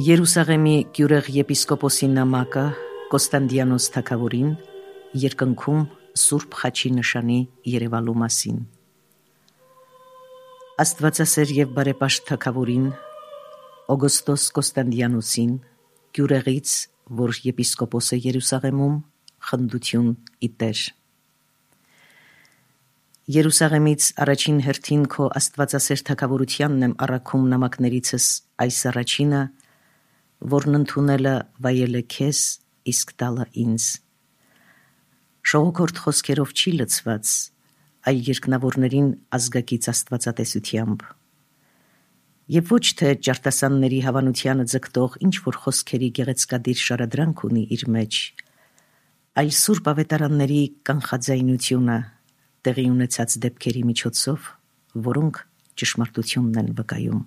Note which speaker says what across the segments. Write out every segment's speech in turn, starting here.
Speaker 1: Երուսաղեմի գյուղ եպիսկոպոսի նամակը Կոստանդիանոս թագավորին երկնքում Սուրբ Խաչի նշանի երևալու մասին։ Աստվածասեր եւ բարեպաշտ թագավորին Օգոստոս Կոստանդիանոսին գյուղից, որ եպիսկոպոս է Երուսաղեմում, խնդություն իտեր։ Երուսաղեմից առաջին հերթին քո աստվածասեր թագավորությանն եմ առաքում նամակներիցս այս առաջինը, որն ընդունելը վայելը քեզ, իսկ տալը ինձ։ Շողոքորթ խոսքերով չի լցված, այլ երկնավորներին ազգակից աստվածատեսությամբ։ Եվ ոչ թե ճարտասանների հավանությանը ձգտող ինչ-որ խոսքերի գեղեցկադիր շարադրանք ունի իր մեջ, այլ սուրբ ավետարանների կանխաձայնությունը տեղի ունեցած դեպքերի միջոցով, որոնք ճշմարտությունն են վկայում։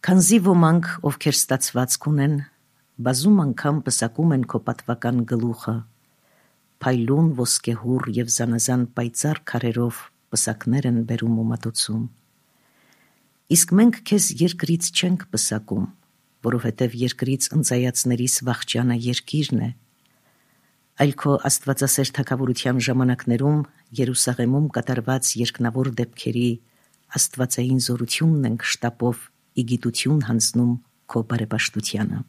Speaker 1: Քանզի ոմանք, ովքեր ստացվածք ունեն, բազում անգամ պսակում են քո պատվական գլուխը, փայլուն ոսկեհուռ եւ զանազան պայծառ քարերով պսակներ են բերում ու մատուցում։ Իսկ մենք քեզ երկրից չենք պսակում, որովհետև երկրից ընծայացներիս վախճանը երկիրն է, այլ քո աստվածասեր թագավորության ժամանակներում Երուսաղեմում կատարված երկնավոր դեպքերի աստվածային զորությունն ենք շտապով ի գիտություն հանձնում քո բարեպաշտությանը։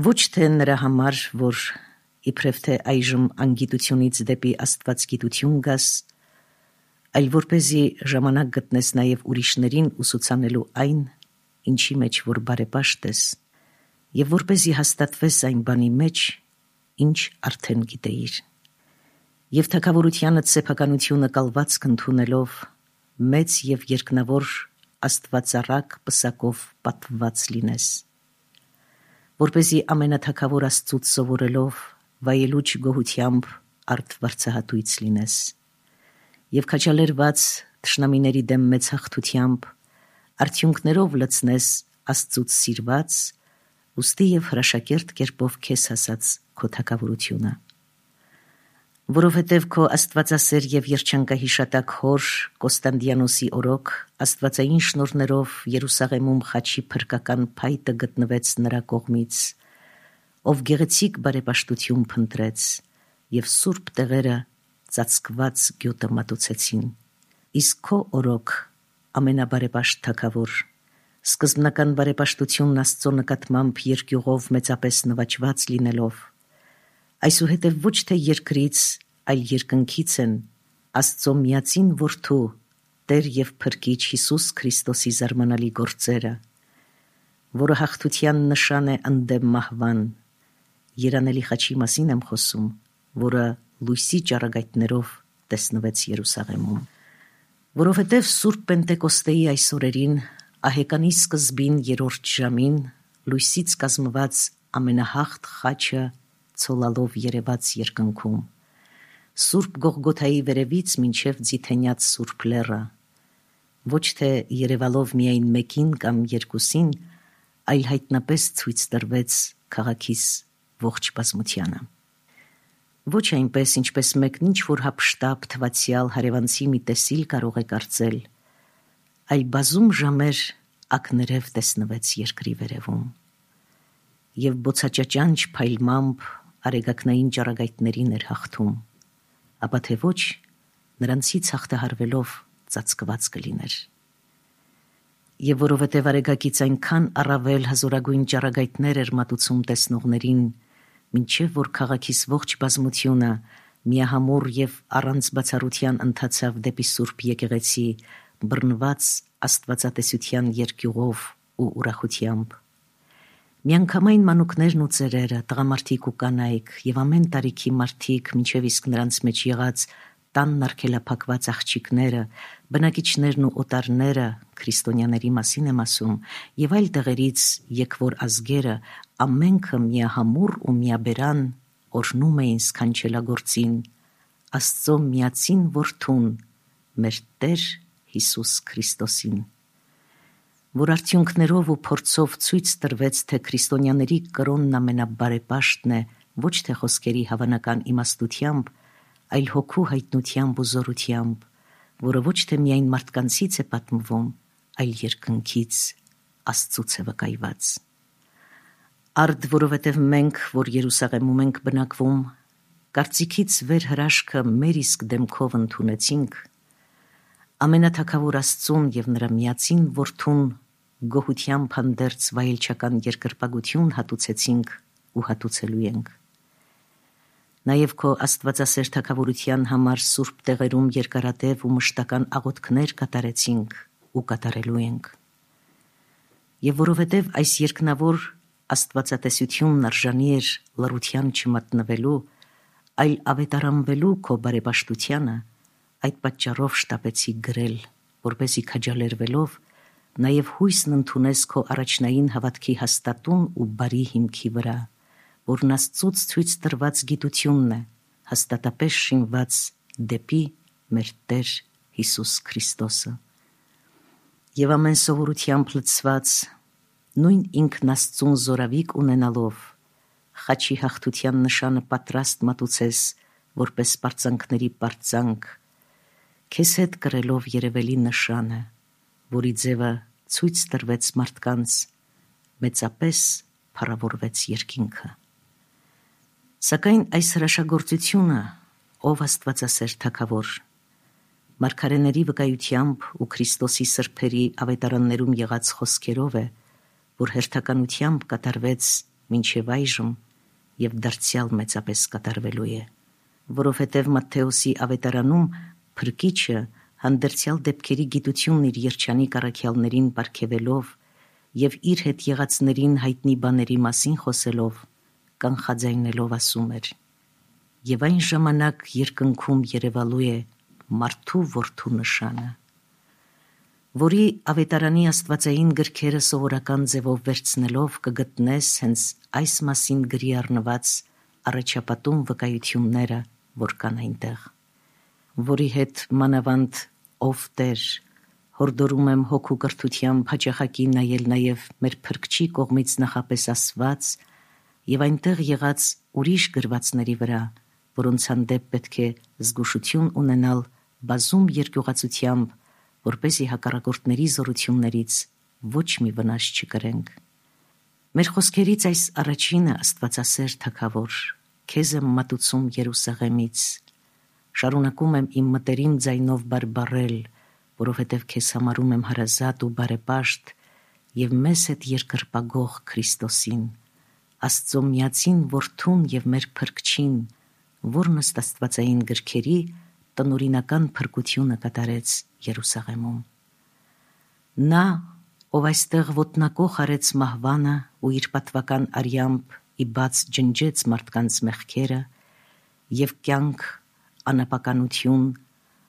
Speaker 1: Ոչ թե նրա համար, որ իբրև թե այժմ անգիտությունից դեպի աստվածգիտություն գաս, այլ որպեսզի ժամանակ գտնես նաև ուրիշներին ուսուցանելու այն, ինչի մեջ որ բարեպաշտ ես, եւ որպեսզի հաստատվես այն բանի մեջ, ինչ արդեն գիտեիր։ Եվ թագավորությանդ սեփականությունը կալվածք ընդունելով մեծ եւ երկնավոր աստվածառակ պսակով պատված լինես, որպեսզի ամենաթագավոր Աստծուց սովորելով վայելուչ գոհությամբ արդ վարձահատույց լինես եւ քաջալերված թշնամիների դեմ մեծ հաղթությամբ արդյունքներով լցնես Աստծուց սիրված, ուստի եւ հրաշակերտ կերպով քեզ հասած քո թագավորությունը։ Որովհետև քո աստվածասեր եւ երջանկահիշատակ հոր Կոստանդիանոսի օրոք աստվածային շնորհներով Երուսաղեմում խաչի փրկական փայտը գտնվեց նրա կողմից, ով գեղեցիկ բարեպաշտություն փնտրեց եւ սուրբ տեղերը ծածկված գյուտը մատուցեցին։ Իսկ քո օրոք ամենաբարեպաշտ թագավոր, սկզբնական բարեպաշտությունն Աստծո նկատմամբ երկյուղով մեծապես նվաճված լինելով, այսուհետև ոչ թե երկրից, այլ երկնքից են Աստծո միածին որդու, Տեր եւ Փրկիչ Հիսուս Քրիստոսի զարմանալի գործերը, որը հաղթության նշան է ընդդեմ մահվան, երանելի խաչի մասին եմ խոսում, որը լույսի ճառագայթներով տեսնվեց Երուսաղեմում։ Որովհետև Սուրբ Պենտեկոստեի այս օրերին, ահեկանի սկզբին երրորդ ժամին, լույսից կազմված ամենահաղթ խաչը ցոլալով երևաց երկնքում, Սուրբ Գողգոթայի վերևից մինչև Ձիթենյաց Սուրբ Լեռը, ոչ թե երևալով միայն մեկին կամ երկուսին, այլ հայտնապես ցույց տրվեց քաղաքիս ողջ բազմությանը։ Ոչ այնպես, ինչպես մեկն ինչ-որ հափշտապ թվացյալ հարևանցի մի տեսիլ կարող է կարծել, այլ բազում ժամեր ակներև տեսնվեց երկրի վերևում, եւ բոցաճաճանչ փայլմամբ արեգակնային ճառագայթներին էր հաղթում, ապա թե ոչ նրանցից հաղթահարվելով ծածկված կլիներ։ Եվ որովհետև արեգակից այնքան առավել հզորագույն ճառագայթներ էր մատուցում տեսնողներին, մինչև որ քաղաքիս ողջ բազմությունը միահամուռ եւ առանց բացառության ընթացավ դեպի Սուրբ եկեղեցի, բռնված աստվածատեսության երկյուղով ու ուրախությամբ։ Միանգամայն մանուկներն ու ծերերը, տղամարդիկ ու կանայք եւ ամեն տարիքի մարդիկ, մինչև իսկ նրանց մեջ եղած տանն արգելափակված աղջիկները, բնակիչներն ու օտարները, քրիստոնյաների մասին եմ ասում, եւ այլ տեղերից եկվոր ազգերը, ամենքը միահամուռ ու միաբերան օրհնում էին սքանչելագործին Աստծո միածին որդուն, մեր Տեր Հիսուս Քրիստոսին, որ արդյունքներով ու փորձով ցույց տրվեց, թե քրիստոնյաների կրոնն ամենաբարեպաշտն է ոչ թե խոսքերի հավանական իմաստությամբ, այլ հոգու հայտնությամբ ու զորությամբ, որը ոչ թե միայն մարդկանցից է պատմվում, այլ երկնքից, Աստծուց է վկայված։ Արդ որովհետև մենք, որ Երուսաղեմում ենք բնակվում, կարծիքից վեր հրաշքը մեր իսկ դեմքով ընդունեցինք, ամենաթագավոր Աստծուն և նրա միածին Որդուն գոհությամբ հանդերձ վայելչական երկրպագություն հատուցեցինք ու հատուցելու ենք։ Նաև քո աստվածասեր թագավորության համար սուրբ տեղերում երկարատև ու մշտական աղոթքներ կատարեցինք ու կատարելու ենք։ Եվ որովհետև այս երկնավոր աստվածատեսությունն արժանի էր լռության չմատնվելու, այլ ավետարանվելու քո բարեպաշտությանը, այդ պատճառով շտապեցի գրել, որպեսզի քաջալերվելով նաև հույսն ընդունես քո առաջնային հավատքի հաստատուն ու բարի հիմքի վրա, որն Աստծուց ցույց տրված գիտությունն է, հաստատապես շինված դեպի մեր Տեր Հիսուս Քրիստոսը։ Եվ ամեն սովորությամբ լցված, նույն ինքն Աստծուն զորավիք ունենալով, խաչի հաղթության նշանը պատրաստ մատուցես, որպես պարծանքների պարծանք, քեզ հետ կրելով երևելի նշանը, որի ձևը ցույց տրվեց մարդկանց, մեծապես փառավորվեց երկինքը։ Սակայն այս հրաշագործությունը, ով Աստվածասեր թագավոր, մարգարեների վկայությամբ ու Քրիստոսի սրբերի ավետարաններում եղած խոսքերով է, որ հերթականությամբ կատարվեց մինչև այժմ և դարձյալ մեծապես կատարվելու է, որովհետև Մատթեոսի ավետարանում Փրկիչը հանդերձյալ դեպքերի գիտությունն իր երջանիկ առաքյալներին պարգևելով և իր հետ եղածներին հայտնի բաների մասին խոսելով, կանխաձայնելով ասում էր. «Եվ այն ժամանակ երկնքում երևալու է մարդու որդու նշանը», որի ավետարանի աստվածային գրքերը սովորական ձևով վերցնելով կգտնես հենց այս մասին գրի առնված առաջապատում վկայությունները, որ կան այնտեղ, որի հետ մանավանդ ով Տեր, հորդորում եմ հոգու կրթությամբ հաճախակի նայել նաև մեր Փրկչի կողմից նախապես ասված և այնտեղ եղած ուրիշ գրվածների վրա, որոնց հանդեպ պետք է զգուշություն ունենալ բազում երկյուղացությամբ, որպեսզի հակառակորդների զորություններից ոչ մի վնաս չկրենք։ Մեր խոսքերից այս առաջինը, Աստվածասեր թագավոր, քեզ եմ մատուցում Երուսաղեմից, շարունակում եմ իմ մտերիմ ձայնով բարբառել, որովհետև քեզ համարում եմ հարազատ ու բարեպաշտ և մեզ հետ երկրպագող Քրիստոսին, Աստծո միածին Որդուն և մեր Փրկչին, որն ըստ աստվածային գրքերի տնօրինական փրկությունը կատարեց Երուսաղեմում։ Նա, ով այստեղ ոտնակոխ արեց մահվանը ու իր պատվական արյամբ ի բաց ջնջեց մարդկանց մեղքերը և կյանք, անապականություն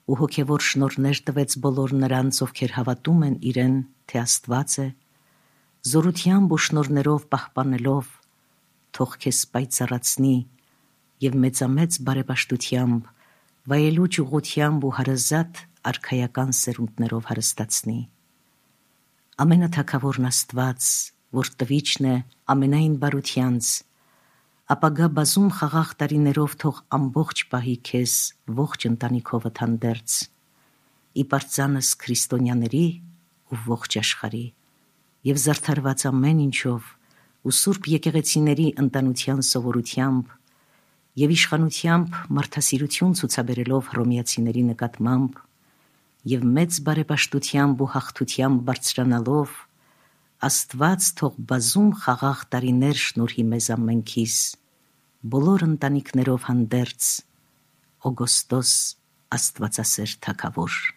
Speaker 1: ու հոգևոր շնորհներ տվեց բոլոր նրանց, ովքեր հավատում են իրեն, թե Աստված է, զորությամբ ու շնորհներով պահպանելով, թող քեզ պայծառացնի և մեծամեծ բարեպաշտությամբ, վայելուչ ուղղությամբ ու հարազատ արքայական սերունդներով հարստացնի։ Ամենաթագավորն Աստված, որ տվիչն է ամենայն բարությանց, ապագա բազում խաղաղ տարիներով թող ամբողջ պահի քեզ ողջ ընտանիքովդ հանդերձ, ի պարծանս քրիստոնյաների ու ողջ աշխարհի, և զարդարված ամեն ինչով ու սուրբ եկեղեցիների ընտանության սովորությամբ և իշխանությամբ մարդասիրություն ցուցաբերելով հռոմեացիների նկատմամբ և մեծ բարեպաշտությամբ ու հաղթությամբ բարձրանալով, Աստված թող բազում խաղաղ տարիներ շնորհի մեզ ամենքիս, բոլոր ընտանիքներով հանդերձ, Օգոստոս Աստվածասեր թագավոր։